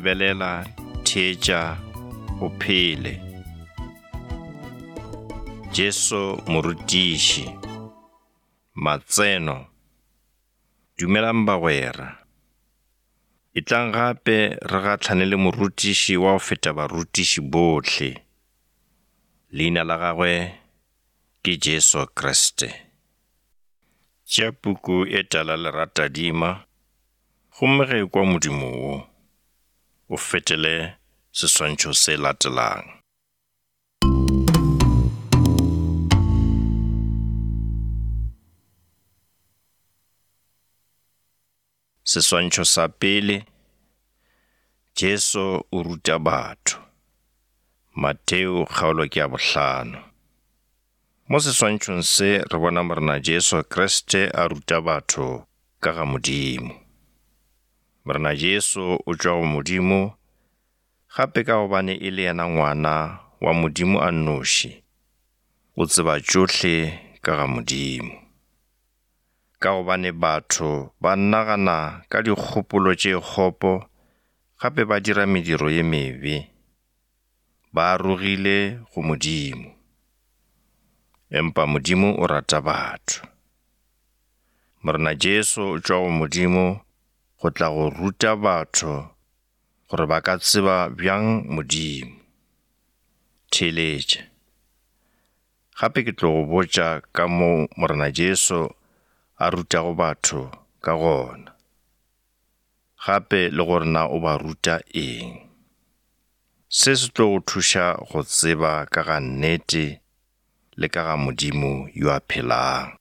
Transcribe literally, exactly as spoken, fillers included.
Lebelela, theetša, o phele. Jesu Morutiši. Matseno. Dumelang bagwera. Etlang gape re gahlane le morutiši wa go feta barutiši bohle. Leina la gagwe ke Jesu Kriste. Tšea puku e tala leratadima, gomme ge e kwa modumo wo, o fetele seswantšho se latelang. Seswantšho sa pele, Jesu o ruta batho. Mateo kgaolo ke ya bohlano. Mo seswantšhong se re bona Morena Jesu Kriste a ruta batho ka ga Modimo. Morena Jesu o tšwa go Modimo gape ka gobane e le yena ngwana wa Modimo a nnoši, o tseba tšohle ka ga Modimo. Ka gobane batho ba nagana ka dikgopolo tše kgopo gape ba dira mediro ye mebe, ba arogile go Modimo. Empa Modimo o rata batho. Morena Jesu o tšwa go Modimo go tla go ruta batho gore ba ka tseba bjang Modimo. Theeletša. Gape ke tlo go botša ka mo Morena Jesu a rutago batho ka gona, gape le gore na o ba ruta eng. Se se tlo go thuša go tseba ka ga nnete le ka ga Modimo yo a phelang.